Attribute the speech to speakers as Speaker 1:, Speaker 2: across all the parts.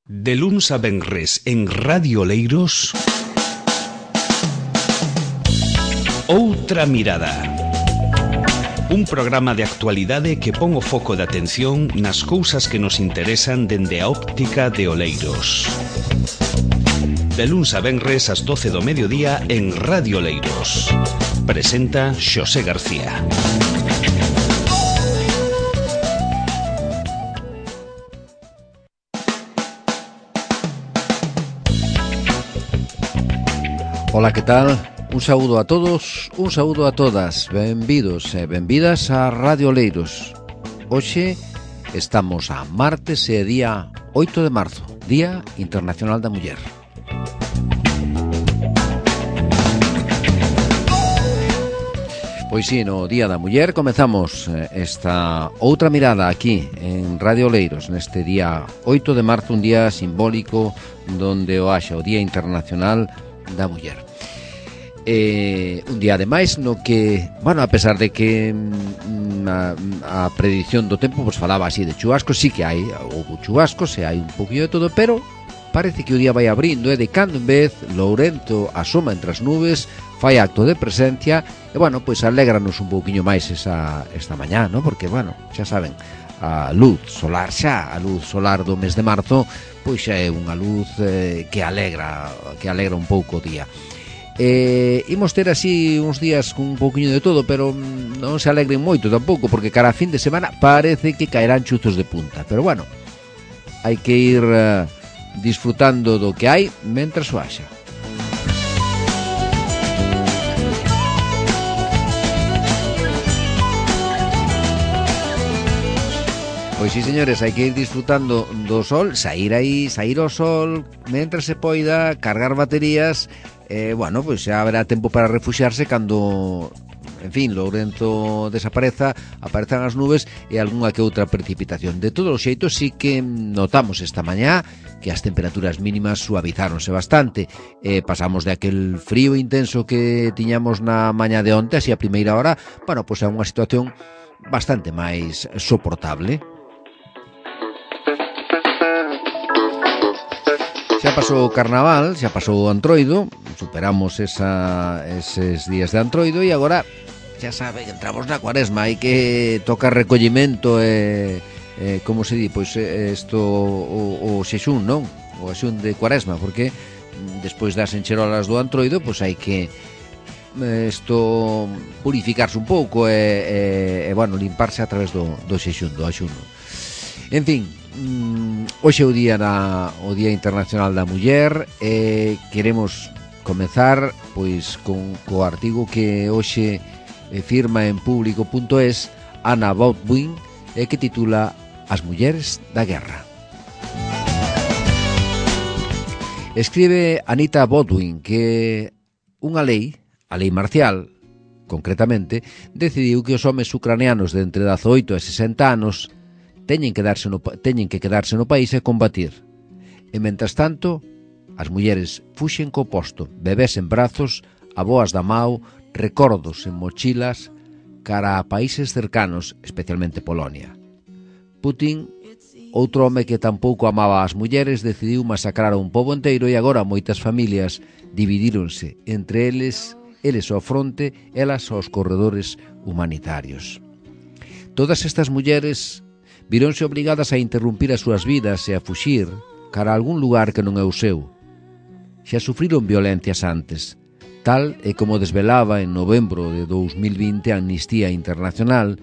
Speaker 1: De luns a venres en Radio Oleiros, Outra Mirada. Un programa de actualidade que pon o foco de atención nas cousas que nos interesan dende a óptica de Oleiros. De luns a venres ás 12 do mediodía en Radio Oleiros. Presenta Xosé García.
Speaker 2: Ola, que tal? Un saúdo a todos, un saúdo a todas. Benvidos e benvidas a Radio Oleiros. Hoxe estamos a martes e día 8 de marzo, Día Internacional da Muller. Pois sí, no Día da Muller comezamos esta outra mirada aquí en Radio Oleiros neste día 8 de marzo, un día simbólico donde o haxa o Día Internacional da Muller. Un día ademais no que, bueno, a pesar de que a predición do tempo pues falaba así de chubascos, sí que hai chubascos e hai un poquinho de todo, pero parece que o día vai abrindo, de cando en vez Lourento asoma entre as nubes, fai acto de presencia e, bueno, pois alégranos un pouquiño máis esta mañá, ¿no? Porque, bueno, xa saben, a luz solar do mes de marzo pois xa é unha luz que alegra un pouco o día. Imos ter así uns días con un pouquiño de todo, pero non se alegren moito tampouco, porque cara a fin de semana parece que caerán chuzos de punta, pero bueno, hai que ir disfrutando do que hai mentras o haxa. Pois sí, señores, hai que ir disfrutando do sol, sair ao sol mentras se poida, cargar baterías. Bueno, pois xa haberá tempo para refuxiarse cando, en fin, Lourento desaparezan as nubes e algunha que outra precipitación. De todos os xeitos, sí que notamos esta mañá que as temperaturas mínimas suavizáronse bastante. Pasamos de aquel frío intenso que tiñamos na mañá de onte, así a primeira hora, bueno, pois é unha situación bastante máis soportable. Xa pasou o carnaval, xa pasou o Antroido, superamos eses días de Antroido e agora, xa sabe, entramos na Cuaresma, hai que tocar recollimento e como se di, pois isto o xexún, non? O xexún de Cuaresma, porque despois das encherolas do Antroido, pois hai que purificarse un pouco e bueno, limparse a través do xexún, do axuno. En fin, hoxe é o Día Internacional da Muller e queremos comezar pois co artigo que hoxe firma en público.es Anna Baldwin e que titula As mulleres da guerra. Escribe Anita Baldwin que unha lei, a lei marcial, concretamente, decidiu que os homes ucranianos de entre 18 e 60 anos teñen que quedarse no país e combatir. E, mentras tanto, as mulleres fuxen co posto, bebés en brazos, avoas da mau, recordos en mochilas, cara a países cercanos, especialmente Polonia. Putin, outro home que tampouco amaba as mulleres, decidiu masacrar a un pobo enteiro e agora moitas familias dividíronse entre eles ao fronte, elas aos corredores humanitarios. Todas estas mulleres vironse obrigadas a interrumpir as súas vidas e a fuxir cara a algún lugar que non é o seu. Xa sufriron violencias antes, tal e como desvelaba en novembro de 2020 a Amnistía Internacional,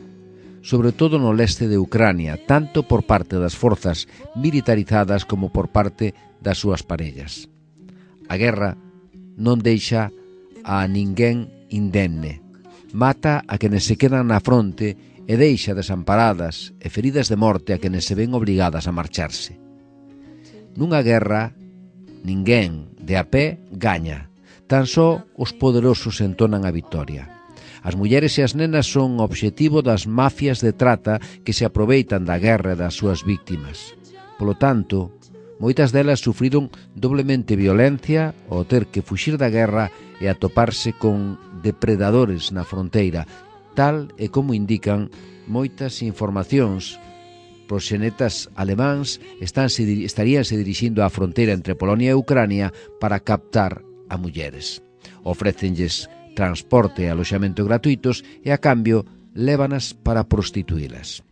Speaker 2: sobre todo no leste de Ucrania, tanto por parte das forzas militarizadas como por parte das súas parellas. A guerra non deixa a ninguén indemne, mata a quenes se quedan na fronte e deixa desamparadas e feridas de morte a quenes se ven obrigadas a marcharse. Nunha guerra, ninguén de a pé gaña, tan só os poderosos entonan a vitoria. As mulleres e as nenas son o obxectivo das mafias de trata que se aproveitan da guerra e das súas víctimas. Polo tanto, moitas delas sufriron doblemente violencia ao ter que fuxir da guerra e atoparse con depredadores na fronteira, tal e como indican moitas informacións proxenetas alemáns estaríanse dirixindo á fronteira entre Polonia e Ucrania para captar a mulleres. Ofrécenlles transporte e aloxamento gratuitos e, a cambio, lévanas para prostituílas.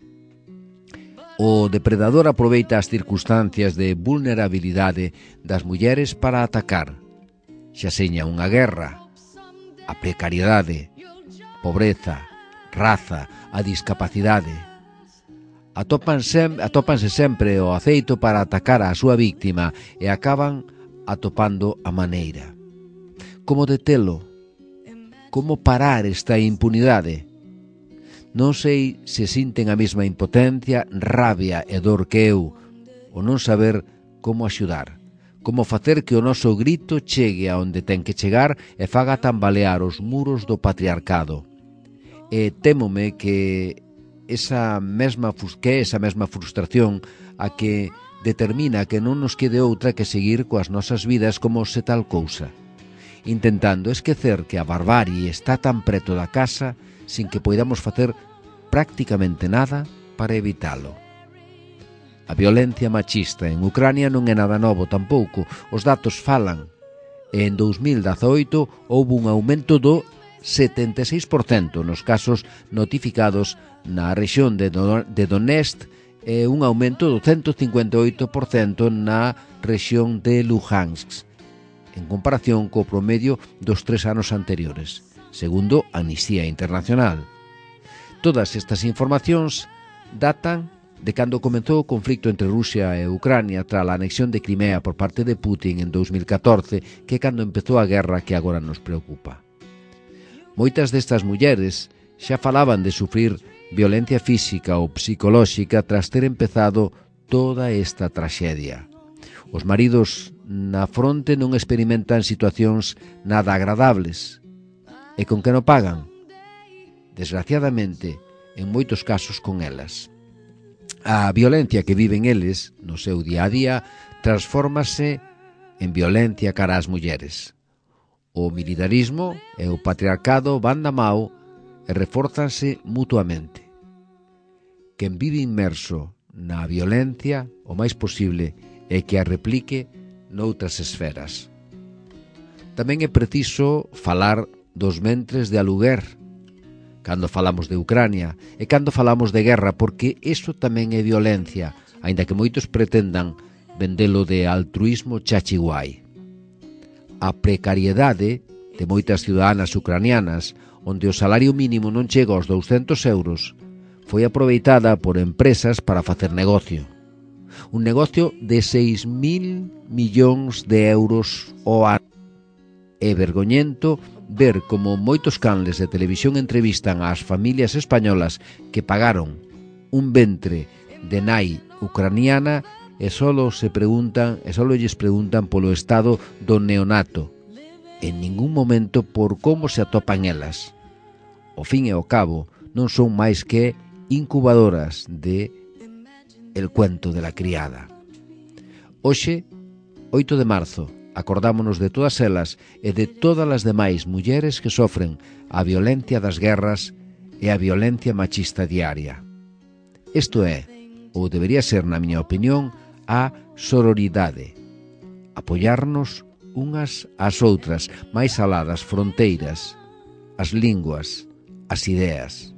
Speaker 2: O depredador aproveita as circunstancias de vulnerabilidade das mulleres para atacar, xa seña unha guerra, a precariedade, pobreza, raza, a discapacidade. Atópanse sempre o aceito para atacar a súa víctima e acaban atopando a maneira. Como detelo? Como parar esta impunidade? Non sei se sinten a mesma impotencia, rabia e dor que eu, o non saber como axudar, como facer que o noso grito chegue a onde ten que chegar e faga tambalear os muros do patriarcado. E témome que esa mesma frustración a que determina que non nos quede outra que seguir coas nosas vidas como se tal cousa, intentando esquecer que a barbarie está tan preto da casa sin que poidamos facer prácticamente nada para evitalo. A violencia machista en Ucrania non é nada novo tampouco, os datos falan. En 2018 houve un aumento do 76% nos casos notificados na rexión de Donetsk e un aumento do 158% na rexión de Luhansk, en comparación co promedio dos 3 anos anteriores, segundo Amnistía Internacional. Todas estas informacións datan de cando comezou o conflicto entre Rusia e Ucrania tras a anexión de Crimea por parte de Putin en 2014, que é cando empezou a guerra que agora nos preocupa. Moitas destas mulleres xa falaban de sufrir violencia física ou psicolóxica tras ter empezado toda esta traxedia. Os maridos na fronte non experimentan situacións nada agradables. E con que non pagan? Desgraciadamente, en moitos casos con elas. A violencia que viven eles no seu día a día transfórmase en violencia cara ás mulleres. O militarismo e o patriarcado van da mao e refórzanse mutuamente. Quen vive inmerso na violencia o máis posible é que a replique noutras esferas. Tamén é preciso falar dos ventres de aluguer cando falamos de Ucrania e cando falamos de guerra, porque iso tamén é violencia, aínda que moitos pretendan vendelo de altruísmo chachiguai. A precariedade de moitas ciudadanas ucranianas, onde o salario mínimo non chega aos 200 euros, foi aproveitada por empresas para facer negocio. Un negocio de 6.000 millóns de euros ao ano. É vergoñento ver como moitos canles de televisión entrevistan ás familias españolas que pagaron un ventre de nai ucraniana e só lles preguntan polo estado do neonato, en ningún momento por como se atopan elas. Ao fin e ao cabo, non son máis que incubadoras de El cuento de la criada. Hoxe, 8 de marzo, acordámonos de todas elas e de todas as demais mulleres que sofren a violencia das guerras e a violencia machista diaria. Isto é, ou debería ser, na miña opinión, a sororidade. Apoiarnos unhas ás outras, máis alá das fronteiras, as linguas, as ideas.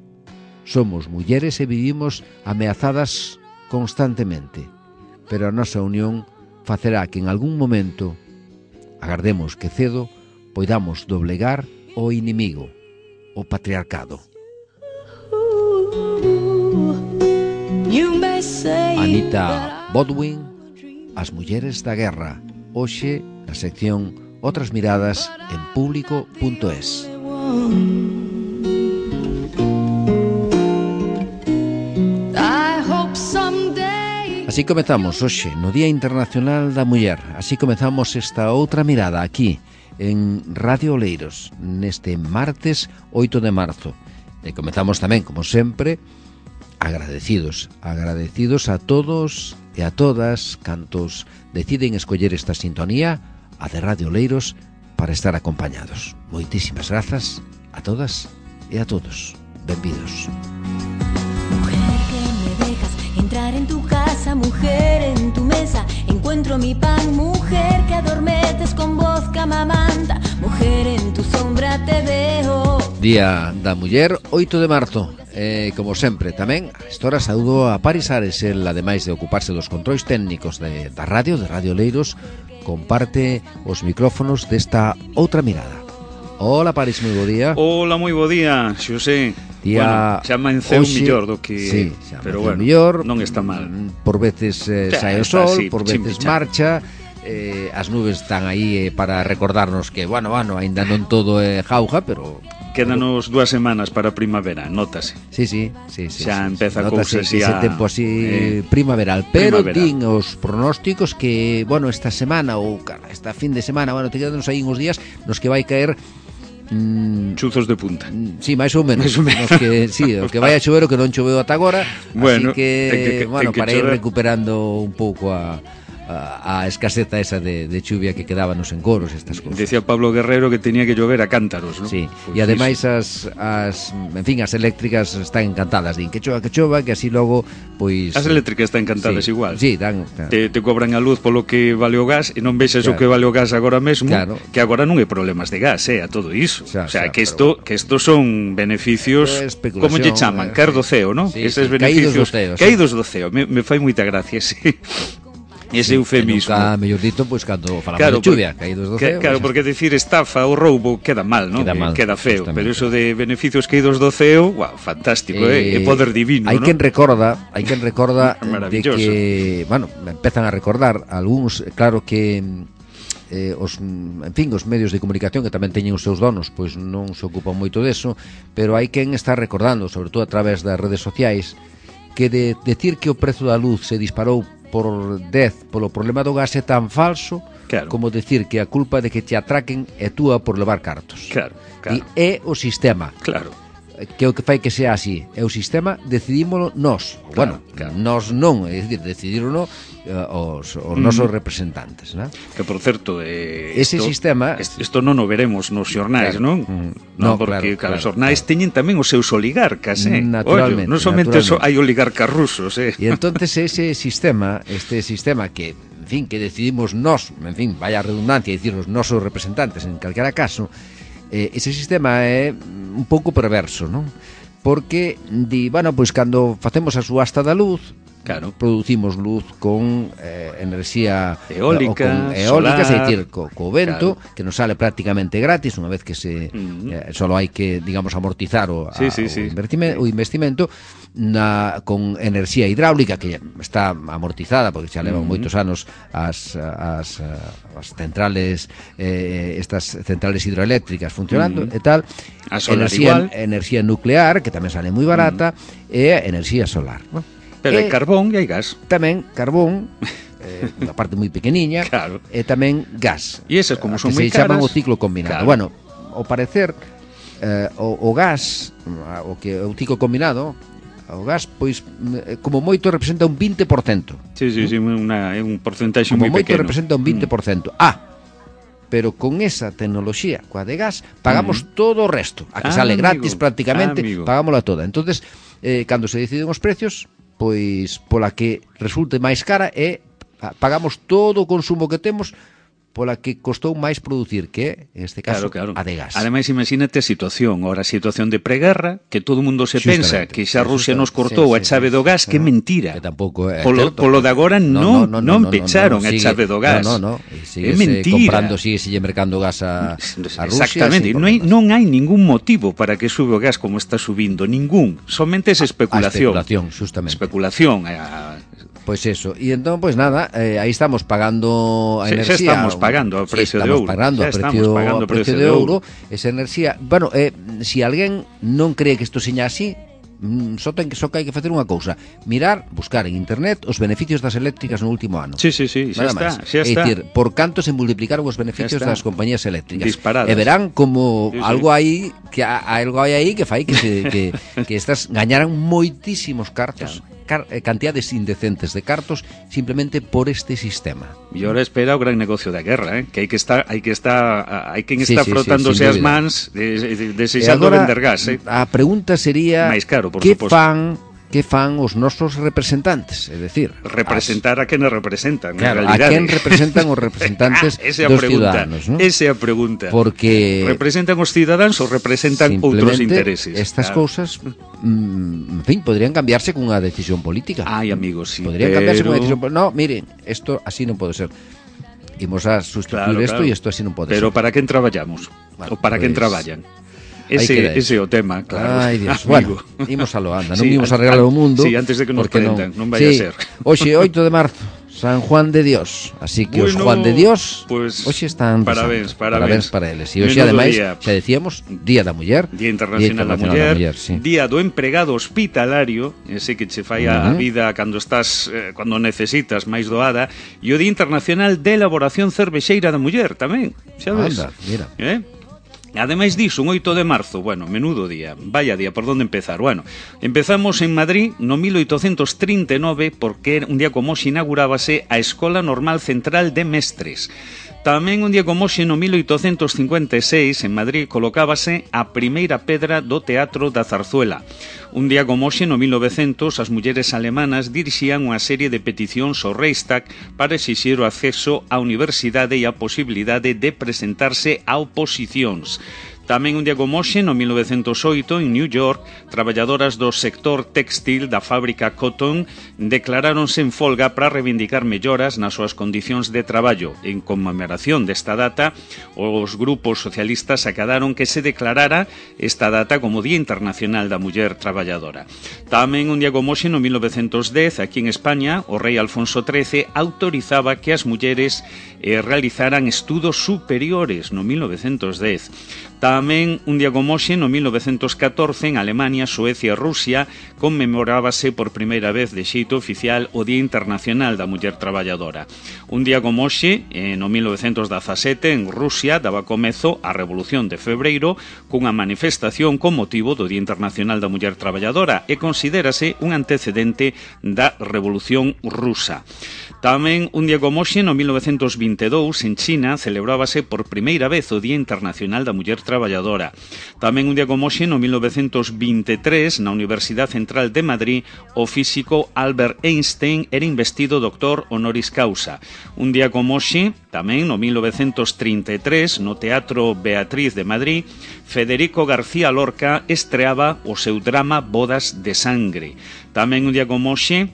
Speaker 2: Somos mulleres e vivimos ameazadas constantemente, pero a nosa unión facerá que en algún momento, agardemos que cedo, poidamos doblegar o inimigo, o patriarcado. Anita Baldwin, As mulleres da guerra, hoxe na sección Outras miradas en público.es. Así comezamos hoxe, no Día Internacional da Muller. Así comezamos esta outra mirada aquí, en Radio Oleiros, neste martes 8 de marzo. E comezamos tamén, como sempre, agradecidos a todos e a todas cantos deciden escoller esta sintonía, a de Radio Oleiros, para estar acompañados. Moitísimas grazas a todas e a todos. Benvidos.
Speaker 3: Mujer que me dejas entrar en tu solo mi pan. Mujer que adormeces con voz que amamanta, mujer en tu sombra te veo.
Speaker 2: Día da Muller, 8 de marzo. Como sempre, tamén a esta hora saúdo a Paris Ares. El, ademais de ocuparse dos controis técnicos da radio, de Radio Oleiros, comparte os micrófonos desta outra mirada. Hola Paris, moi bo día.
Speaker 4: Hola, moi bo día, Xosé.
Speaker 2: Día,
Speaker 4: bueno, xa amanceu millor do que...
Speaker 2: Sí,
Speaker 4: pero bueno,
Speaker 2: millor,
Speaker 4: non está mal.
Speaker 2: Por veces sai o sol,
Speaker 4: así,
Speaker 2: por veces marcha. As nubes están aí para recordarnos que, bueno, ainda non todo é jauja, pero...
Speaker 4: Quédanos 2 semanas para a primavera, nótase.
Speaker 2: Sí.
Speaker 4: Xa empeza a cousa
Speaker 2: así ese tempo así primaveral, pero din os pronósticos que, bueno, esta semana ou esta fin de semana, bueno, te quedan aí uns días nos que vai caer
Speaker 4: chuzos de punta.
Speaker 2: Sí, máis ou menos. Os que vai a chover o que non choveu ata agora,
Speaker 4: bueno,
Speaker 2: así que, bueno, para ir
Speaker 4: chover.
Speaker 2: recuperando un pouco a escaseza esa de chuvia que quedaba nos encoros, estas cousas.
Speaker 4: Decía Pablo Guerrero que tenía que llover a cántaros, ¿no?
Speaker 2: Sí,
Speaker 4: Pues
Speaker 2: e ademais as eléctricas están encantadas, din que chova, que así logo, pois...
Speaker 4: As eléctricas están encantadas,
Speaker 2: sí,
Speaker 4: igual.
Speaker 2: Sí, dan...
Speaker 4: Te cobran a luz polo que vale o gas e non vexes o que vale o gas agora mesmo, que agora non hai problemas de gas, a todo iso. O sea, que isto son beneficios, como lle chaman, caer do ceo, ¿no?
Speaker 2: Sí,
Speaker 4: eses beneficios caídos do ceo. Me fai moita gracia, sí. Ese eufemismo.
Speaker 2: Nunca mellor dito, pois cando falamos de chuvia, caídos do ceo.
Speaker 4: Claro, porque decir estafa ou roubo queda mal, non? Queda feo,
Speaker 2: justamente.
Speaker 4: Pero eso de beneficios caídos do ceo, wow, fantástico, é poder divino,
Speaker 2: hai
Speaker 4: non?
Speaker 2: quen recorda de que, bueno, empezan a recordar algúns, claro que os medios de comunicación que tamén teñen os seus donos, pois non se ocupan moito deso, pero hai quen está recordando, sobre todo a través das redes sociais, que de decir que o prezo da luz se disparou por 10 polo problema do gas é tan falso, como decir que a culpa de que te atraquen é túa por levar cartos. E é o sistema. Que é o que fai que sea así. É o sistema, decidímolo nós. Nós non, é dicir, decidírono os nosos representantes, non?
Speaker 4: Que, por certo,
Speaker 2: ese sistema...
Speaker 4: Isto non o veremos nos xornais, non? Non, porque os xornais teñen tamén os seus oligarcas,
Speaker 2: Naturalmente.
Speaker 4: Non somente hai oligarcas rusos,
Speaker 2: E entonces ese sistema, que, en fin, que decidimos nós, en fin, vaya redundancia, dicir os nosos representantes en calquera caso, ese sistema é un pouco perverso, non? Porque di, bueno, pois cando facemos a subasta da luz, producimos luz con enerxía
Speaker 4: eólica,
Speaker 2: é dicir, co vento, que nos sale prácticamente gratis unha vez que solo hai que, digamos, amortizar o investimento, con enerxía hidráulica que está amortizada porque xa levan moitos anos as centrales, estas centrales hidroeléctricas funcionando e tal, enerxía nuclear que tamén sale moi barata, e enerxía solar, non?
Speaker 4: Pero hai carbón e hai gas.
Speaker 2: Tamén carbón, unha parte moi pequeniña, e tamén gas.
Speaker 4: E esas como son moi caras,
Speaker 2: se chaman o ciclo combinado. Bueno, ao parecer o gas, o ciclo combinado, o gas, pois, como moito representa un 20%.
Speaker 4: Sí, é un porcentaxe moi pequeno. Como moito
Speaker 2: representa un 20%. Pero con esa tecnoloxía, coa de gas, pagamos todo o resto. A que sale gratis prácticamente, pagámola toda. Entonces, cando se deciden os precios, pois pola que resulte máis cara pagamos todo o consumo que temos pola que costou máis producir, que en este caso a de gas.
Speaker 4: Ademais, imagínate a situación de preguerra, que todo o mundo se pensa que xa Rusia nos cortou a chave do gas, que mentira.
Speaker 2: Que tampouco é
Speaker 4: certo. Polo de agora non pecharon a chave do gas. É mentira.
Speaker 2: Sigue mercando gas a Rusia.
Speaker 4: Exactamente, non hai ningún motivo para que sube o gas como está subindo, ningún. Somente es especulación.
Speaker 2: A especulación, justamente.
Speaker 4: Especulación,
Speaker 2: Pois eso, e entón, pois nada, aí estamos pagando a enerxía.
Speaker 4: Xa estamos pagando a precio de ouro.
Speaker 2: Estamos pagando a precio de ouro. Esa enerxía, bueno, se alguén non cree que isto seña así, só que hai que facer unha cousa: buscar en internet os beneficios das eléctricas no último ano.
Speaker 4: Sí, xa está.
Speaker 2: É dicir, por canto se multiplicaron os beneficios das compañías eléctricas.
Speaker 4: Disparadas.
Speaker 2: E verán como algo hai que fai que estas gañaran moitísimos cartos. Cantidades indecentes de cartos simplemente por este sistema.
Speaker 4: E ahora espera o gran negocio da guerra, que hai quen está frotándose as mans desexando vender gas.
Speaker 2: A pregunta sería
Speaker 4: máis caro, por
Speaker 2: que
Speaker 4: suposto.
Speaker 2: fan que fan os nosos representantes, é dicir,
Speaker 4: representar a quen representan,
Speaker 2: claro,
Speaker 4: na realidade.
Speaker 2: A quen representan os representantes dos ciudadanos, ¿no?
Speaker 4: Esa é a pregunta.
Speaker 2: Porque
Speaker 4: representan os cidadáns ou representan outros intereses?
Speaker 2: Estas cousas, en fin, podrían cambiarse cunha decisión política.
Speaker 4: Ai, amigos, sí.
Speaker 2: Podrían cambiarse cunha decisión política. No, miren, isto así non pode ser. Imos a sustituir isto e isto así non pode ser.
Speaker 4: Pero para quen traballamos? Ou para quen traballan? Ese é o tema, claro.
Speaker 2: Ai, Dios. Bueno, imos a lo anda, non imos a arreglar o mundo.
Speaker 4: Sí, antes de que nos prendan, non vai a ser.
Speaker 2: Hoxe, 8 de marzo, San Juan de Dios. Así que os Juan de Dios,
Speaker 4: pues,
Speaker 2: hoxe están
Speaker 4: parabéns
Speaker 2: para eles. E hoxe, ademais, xa decíamos, Día da Muller.
Speaker 4: Día Internacional da Muller, sí. Día do Empregado Hospitalario, ese que che fai a vida cando estás, cando necesitas máis doada, e o Día Internacional de Elaboración Cervexeira da Muller, tamén, xa ves?
Speaker 2: Anda, mira.
Speaker 4: Ademais diso, un 8 de marzo, bueno, menudo día, vaya día, por onde empezar? Bueno, empezamos en Madrid no 1839 porque un día como hoxe inaugurábase a Escola Normal Central de Mestres. Tamén un día como hoxe no 1856 en Madrid colocábase a primeira pedra do Teatro da Zarzuela. Un día como hoxe no 1900 as mulleres alemanas dirixían unha serie de peticións ao Reichstag para exixir o acceso á universidade e a posibilidade de presentarse a oposicións. Tamén un día como hoxe, no 1908, en New York, traballadoras do sector textil da fábrica Cotton declaráronse en folga para reivindicar melloras nas súas condicións de traballo. En conmemoración desta data, os grupos socialistas acadaron que se declarara esta data como Día Internacional da Muller Traballadora. Tamén un día como hoxe, no 1910, aquí en España, o rei Alfonso XIII autorizaba que as mulleres realizaran estudos superiores no 1910. Tamén un día como hoxe, no 1914, en Alemania, Suecia e Rusia, conmemorábase por primeira vez de xeito oficial o Día Internacional da Muller Traballadora. Un día como hoxe, no 1917, en Rusia, daba comezo a Revolución de Febreiro cunha manifestación con motivo do Día Internacional da Muller Traballadora e considérase un antecedente da Revolución Rusa. Tamén un día como hoxe, no 1922, en China, celebrábase por primeira vez o Día Internacional da Muller Traballadora. Tamén un día como hoxe, no 1923, na Universidade Central de Madrid, o físico Albert Einstein era investido doctor honoris causa. Un día como hoxe, tamén no 1933, no Teatro Beatriz de Madrid, Federico García Lorca estreaba o seu drama Bodas de Sangre. Tamén un día como hoxe,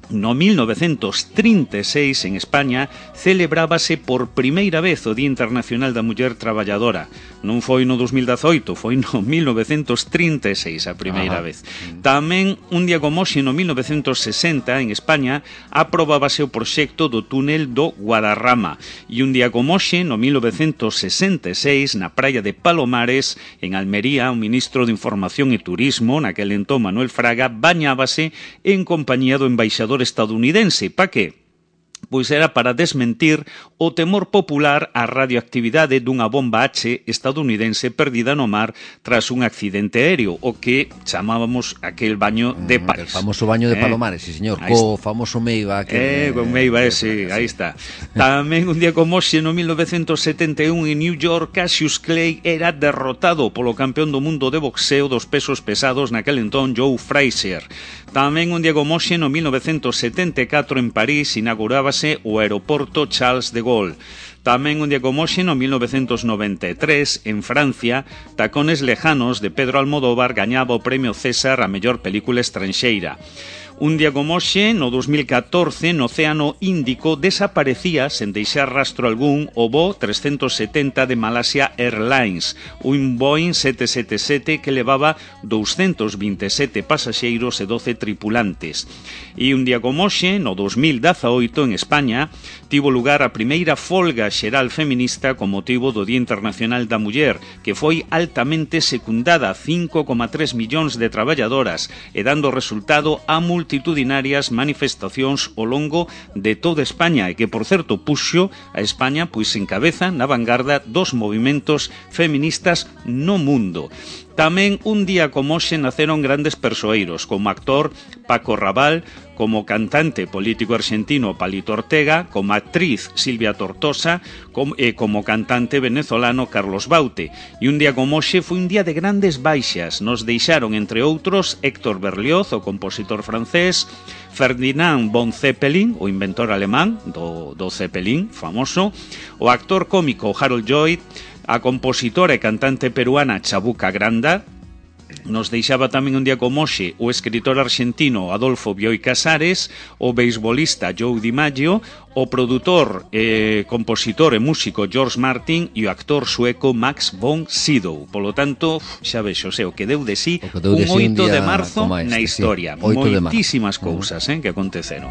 Speaker 4: no 1936, en España, celebrábase por primeira vez o Día Internacional da Muller Traballadora. Non foi no 2018, foi no 1936 a primeira vez. Tamén, un día como hoxe, no 1960, en España, aprobábase o proxecto do túnel do Guadarrama. E un día como hoxe, no 1966, na praia de Palomares, en Almería, o ministro de Información e Turismo, naquel entón Manuel Fraga, bañábase en compañía do embaixador estadounidense. Pa que? Pois era para desmentir o temor popular á radioactividade dunha bomba H estadounidense perdida no mar tras un accidente aéreo, o que chamábamos aquel baño de París.
Speaker 2: El famoso baño de Palomares, sí, señor, co famoso Meiva.
Speaker 4: Con Meiva, sí, aí está. Tamén un día como hoxe, no 1971, en New York, Cassius Clay era derrotado polo campeón do mundo de boxeo dos pesos pesados naquel entón, Joe Frazier. Tamén un día como hoxe, no 1974, en París, inaugurábase o aeroporto Charles de Gaulle. Tamén un día como hoxe, no 1993, en Francia, Tacones Lejanos, de Pedro Almodóvar, gañaba o premio César a mellor película estranxeira. Un día como hoxe, no 2014, no Océano Índico, desaparecía, sen deixar rastro algún, o voo 370 de Malaysia Airlines, un Boeing 777 que levaba 227 pasaxeiros e 12 tripulantes. E un día como hoxe, no 2018, en España, tivo lugar a primeira folga xeral feminista con motivo do Día Internacional da Muller, que foi altamente secundada, 5,3 millóns de traballadoras, e dando resultado a multitudinarias manifestacións ao longo de toda España, e que, por certo, puxo a España pois en cabeza na vanguarda dos movimentos feministas no mundo. Tamén un día como hoxe naceron grandes persoeiros, como actor Paco Raval, como cantante político argentino Palito Ortega, como actriz Silvia Tortosa e como cantante venezolano Carlos Baute. E un día como hoxe foi un día de grandes baixas. Nos deixaron, entre outros, Héctor Berlioz, o compositor francés, Ferdinand von Zeppelin, o inventor alemán do Zeppelin famoso, o actor cómico Harold Lloyd, a compositora e cantante peruana Chabuca Granda. Nos deixaba tamén un día como hoxe o escritor argentino Adolfo Bioy Casares, o beisbolista Joe DiMaggio, o produtor, compositor e músico George Martin e o actor sueco Max von Sydow. Polo tanto, xa vexo, o que deu de sí un 8 de marzo na historia. Moitísimas cousas que aconteceron.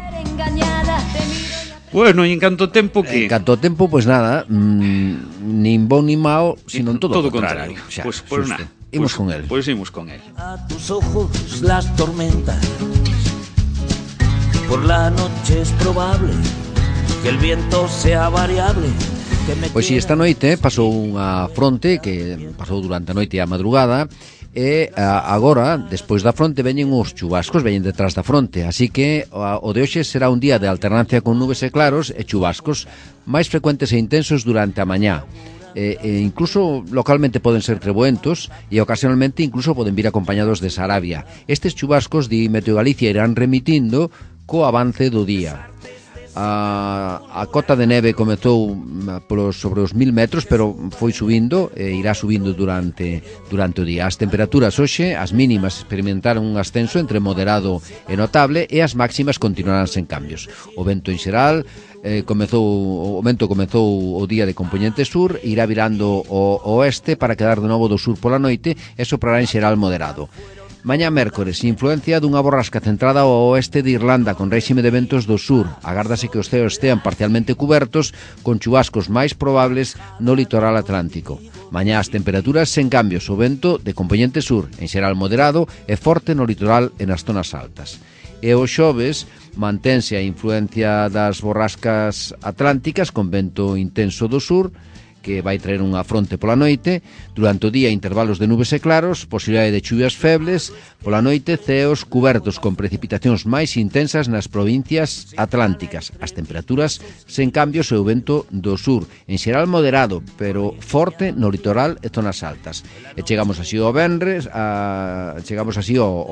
Speaker 4: Bueno, e en canto tempo que...
Speaker 2: En canto tempo, pois nada, nin bon nin mao, sino todo o contrario.
Speaker 4: Pois nada.
Speaker 2: Imos con él.
Speaker 4: Pues imos con él.
Speaker 5: A tus ojos las tormentas. Por la noche es probable que el viento sea variable.
Speaker 2: Pois si esta noite pasou unha fronte que pasou durante a noite e a madrugada e agora, despois da fronte, veñen os chubascos, veñen detrás da fronte, así que o de hoxe será un día de alternancia con nubes e claros e chubascos máis frecuentes e intensos durante a mañá. Incluso localmente poden ser treboentos e ocasionalmente incluso poden vir acompañados de sarabia. Estes chubascos, di Meteo Galicia, irán remitindo co avance do día. A cota de neve comezou sobre os 1000 metros, pero foi subindo e irá subindo durante o día. As temperaturas hoxe, as mínimas experimentaron un ascenso entre moderado e notable e as máximas continuarán sen cambios. O vento en xeral o vento comezou o día de compoñente sur, irá virando ao oeste para quedar de novo do sur pola noite e soprará en xeral moderado. Mañá mércores, influencia dunha borrasca centrada ao oeste de Irlanda con réxime de ventos do sur. Agárdase que os ceos estean parcialmente cubertos con chubascos máis probables no litoral atlántico. Mañá as temperaturas sen cambios, o vento de compoñente sur, en xeral moderado e forte no litoral e nas zonas altas. E o xoves mantense a influencia das borrascas atlánticas con vento intenso do sur, que vai traer unha fronte pola noite. Durante o día intervalos de nubes e claros, posibilidade de chuvias febles. Pola noite ceos cubertos con precipitacións máis intensas nas provincias atlánticas. As temperaturas sen cambios e o vento do sur, en xeral moderado, pero forte no litoral e zonas altas. E chegamos así ao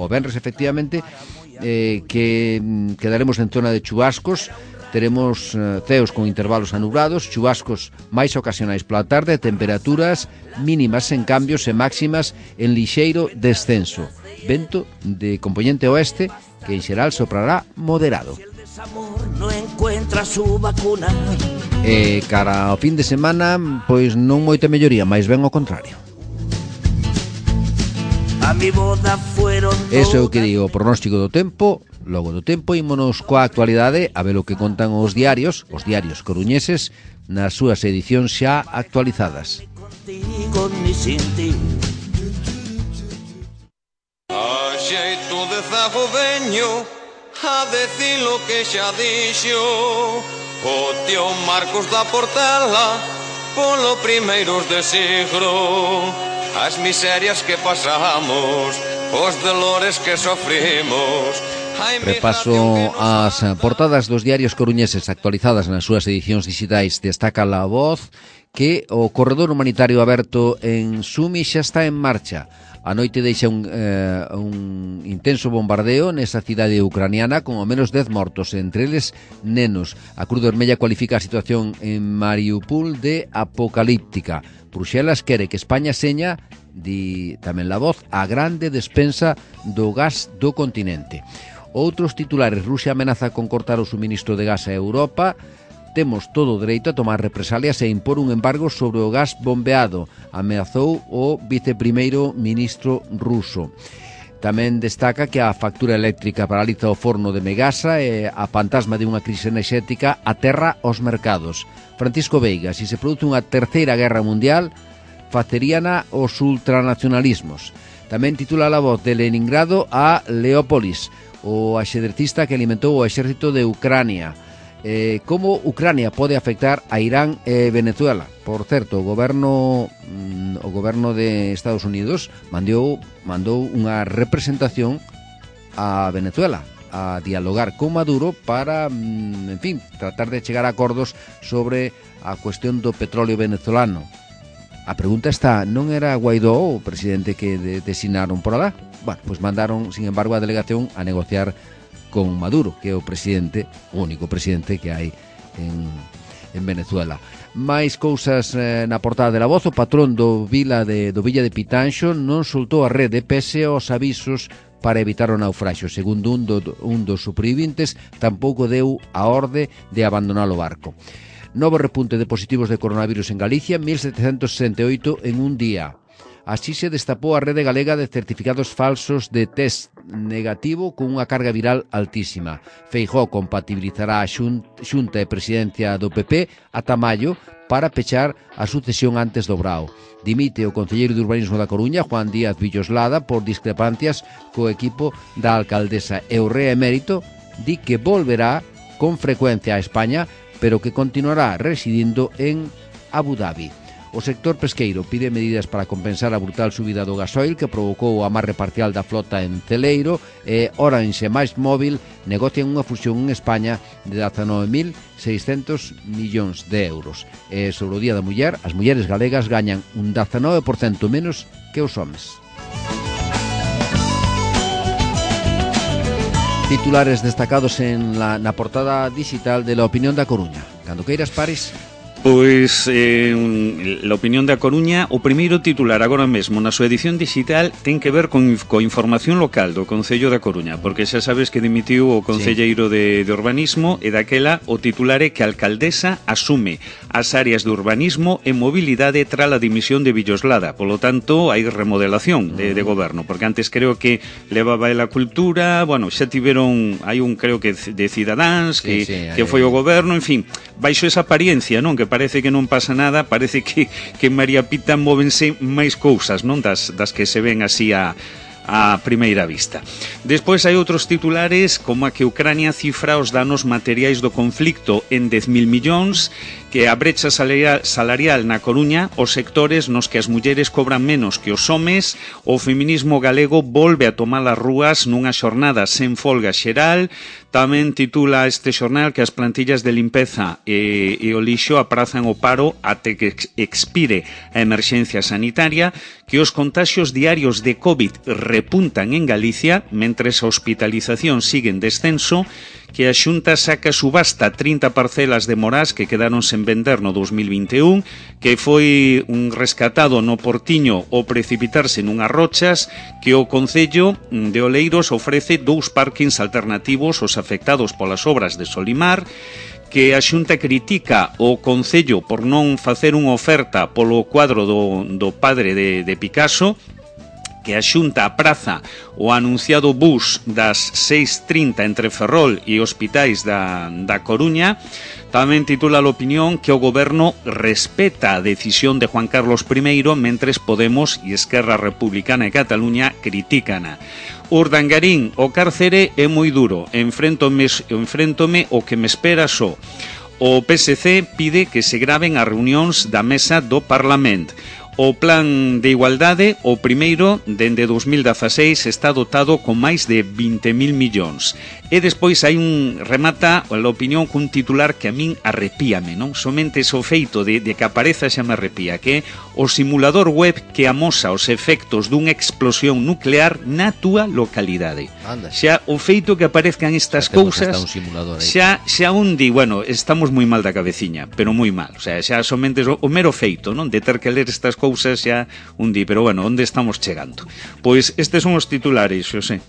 Speaker 2: venres, efectivamente, que quedaremos en zona de chubascos. Teremos ceos con intervalos anubrados, chubascos máis ocasionais pola tarde, temperaturas mínimas en cambios e máximas en lixeiro descenso. Vento de compoñente oeste que en xeral soprará moderado. E cara ao fin de semana, pois non moita melloría, máis ben ao contrario. Eso é o que digo, o pronóstico do tempo. Logo do tempo, ímonos coa actualidade a ver o que contan os diarios coruñeses, nas súas edicións xa actualizadas.
Speaker 6: A xeito de zago veño a decir lo que xa dixo o tío Marcos da Portela polo primeiros de siglo. As miserias que pasamos, os dolores que sofrimos.
Speaker 2: Repaso as portadas dos diarios coruñeses actualizadas nas súas edicións digitais. Destaca La Voz que o corredor humanitario aberto en Sumi xa está en marcha. A noite deixa un intenso bombardeo nesa cidade ucraniana con ao menos 10 mortos, entre eles nenos. A Cruz Vermella cualifica a situación en Mariupol de apocalíptica. Bruxelas quere que España seña, di tamén La Voz, a grande despensa do gas do continente. Outros titulares: Rusia amenaza con cortar o suministro de gas a Europa. Temos todo o dereito a tomar represalias e impor un embargo sobre o gas bombeado, ameazou o viceprimeiro ministro ruso. Tamén destaca que a factura eléctrica paraliza o forno de Megasa e a fantasma de unha crise enerxética aterra os mercados. Francisco Veiga: se se produce unha terceira guerra mundial, faceríana os ultranacionalismos. Tamén titula La Voz: de Leningrado a Leópolis, o axedrecista que alimentou o exército de Ucrania. Como Ucrania pode afectar a Irán e Venezuela. Por certo, o goberno de Estados Unidos mandou unha representación a Venezuela a dialogar con Maduro para, en fin, tratar de chegar a acordos sobre a cuestión do petróleo venezolano. A pregunta está, non era Guaidó o presidente que designaron por alá? Bueno, pues mandaron, sin embargo, a delegación a negociar con Maduro, que é o presidente, o único presidente que hai en Venezuela. Máis cousas na portada de La Voz. O patrón do Villa de Pitanxo non soltou a rede pese aos avisos para evitar o naufraxio. Segundo un dos supervivintes, tampouco deu a orde de abandonar o barco. Novo repunte de positivos de coronavirus en Galicia, 1.768 en un día. Así se destapou a rede galega de certificados falsos de test negativo con unha carga viral altísima. Feijóo compatibilizará a Xunta e Presidencia do PP ata maio para pechar a sucesión antes do Brao. Dimite o concelleiro de Urbanismo da Coruña, Juan Díaz Villoslada, por discrepancias co equipo da alcaldesa. E o rei emérito di que volverá con frecuencia a España, pero que continuará residindo en Abu Dhabi. O sector pesqueiro pide medidas para compensar a brutal subida do gasoil que provocou o amarre parcial da flota en Celeiro, e Orange e MásMóvil negocian unha fusión en España de 19.600 millóns de euros. E sobre o Día da Muller, as mulleres galegas gañan un 19% menos que os homes. Titulares destacados na portada digital de La Opinión da Coruña. Cando queiras, Paris.
Speaker 4: Pois, La Opinión da Coruña, o primeiro titular agora mesmo na súa edición digital ten que ver con información local do Concello da Coruña, porque xa sabes que dimitiu o concelleiro de urbanismo, e daquela o titular é que a alcaldesa asume as áreas de urbanismo e mobilidade tras a dimisión de Villoslada. Polo tanto, hai remodelación de goberno, porque antes creo que levaba a cultura, bueno, xa tiveron, hai un creo que de Cidadáns, que foi o goberno, en fin, baixo esa apariencia, non? Que parece que non pasa nada, parece que en María Pita móvense máis cousas, non? Das que se ven así a primeira vista. Despois hai outros titulares, como a que Ucrania cifra os danos materiais do conflicto en 10.000 millóns, que a brecha salarial na Coruña, os sectores nos que as mulleres cobran menos que os homes, o feminismo galego volve a tomar as rúas nunha xornada sen folga xeral. Tamén titula este xornal que as plantillas de limpeza e o lixo aprazan o paro até que expire a emerxencia sanitaria, que os contaxios diarios de COVID repuntan en Galicia, mentres a hospitalización sigue en descenso, que a Xunta saca subasta 30 parcelas de morás que quedaron sen vender no 2021, que foi un rescatado no Portiño ao precipitarse nunhas rochas, que o Concello de Oleiros ofrece 2 parkings alternativos aos afectados polas obras de Solimar, que a Xunta critica o Concello por non facer unha oferta polo cuadro do padre de Picasso, que a Xunta apraza o anunciado bus das 6:30 entre Ferrol e hospitais da Coruña. Tamén titula a Opinión que o goberno respeta a decisión de Juan Carlos I, mentres Podemos e Esquerra Republicana de Cataluña critícana. Urdangarín, o cárcere é moi duro, enfréntome o que me espera só. O PSC pide que se graven as reunións da mesa do Parlamento. O plan de igualdade, o primeiro, dende 2016, está dotado con máis de 20.000 millóns. E despois hai remata a Opinión cun titular que a min arrepíame, non? Somente o feito de que apareza xa me arrepía, que é o simulador web que amosa os efectos dunha explosión nuclear na túa localidade.
Speaker 2: Anda.
Speaker 4: Xa o feito que aparezcan estas cousas, xa un di, bueno, estamos moi mal da cabeciña, pero moi mal. O sea, xa somente o mero feito, non? De ter que ler estas cousas xa un di, pero bueno, onde estamos chegando? Pois estes son os titulares, Xosé.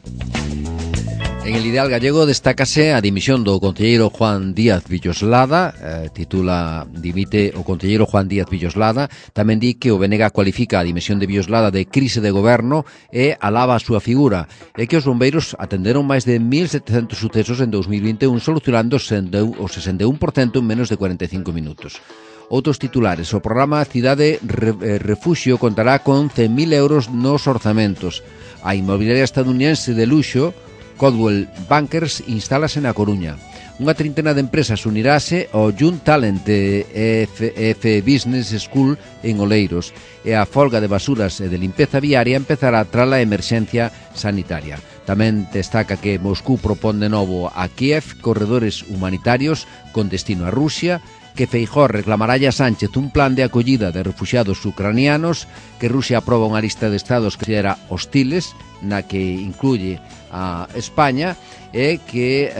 Speaker 2: En el Ideal Gallego destácase a dimisión do concelleiro Juan Díaz Villoslada, titula dimite o concelleiro Juan Díaz Villoslada. Tamén di que o BNG cualifica a dimisión de Villoslada de crise de goberno e alaba a súa figura, e que os bombeiros atenderon máis de 1.700 sucesos en 2021, solucionando o 61% en menos de 45 minutos. Outros titulares: o programa Cidade Refuxio contará con 100.000 euros nos orzamentos. A inmobiliaria estadounidense de luxo Coldwell Bankers instálase na Coruña. Unha trintena de empresas unirase ao Young Talent de EF Business School en Oleiros, e a folga de basuras e de limpeza viaria empezará tras a emerxencia sanitaria. Tamén destaca que Moscú propón de novo a Kiev corredores humanitarios con destino a Rusia, que Feijóo reclamará a Sánchez un plan de acollida de refuxiados ucranianos, que Rusia aproba unha lista de estados que considera hostiles, na que incluye a España, e que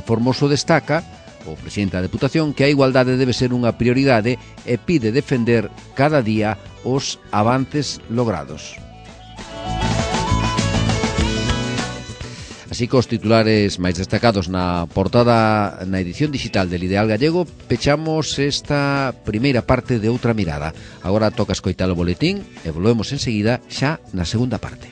Speaker 2: Formoso destaca, o presidente da Deputación, que a igualdade debe ser unha prioridade e pide defender cada día os avances logrados. Así que os titulares máis destacados na portada, na edición digital del Ideal Gallego, pechamos esta primeira parte de Outra Mirada. Agora toca escoitar o boletín e volvemos enseguida xa na segunda parte.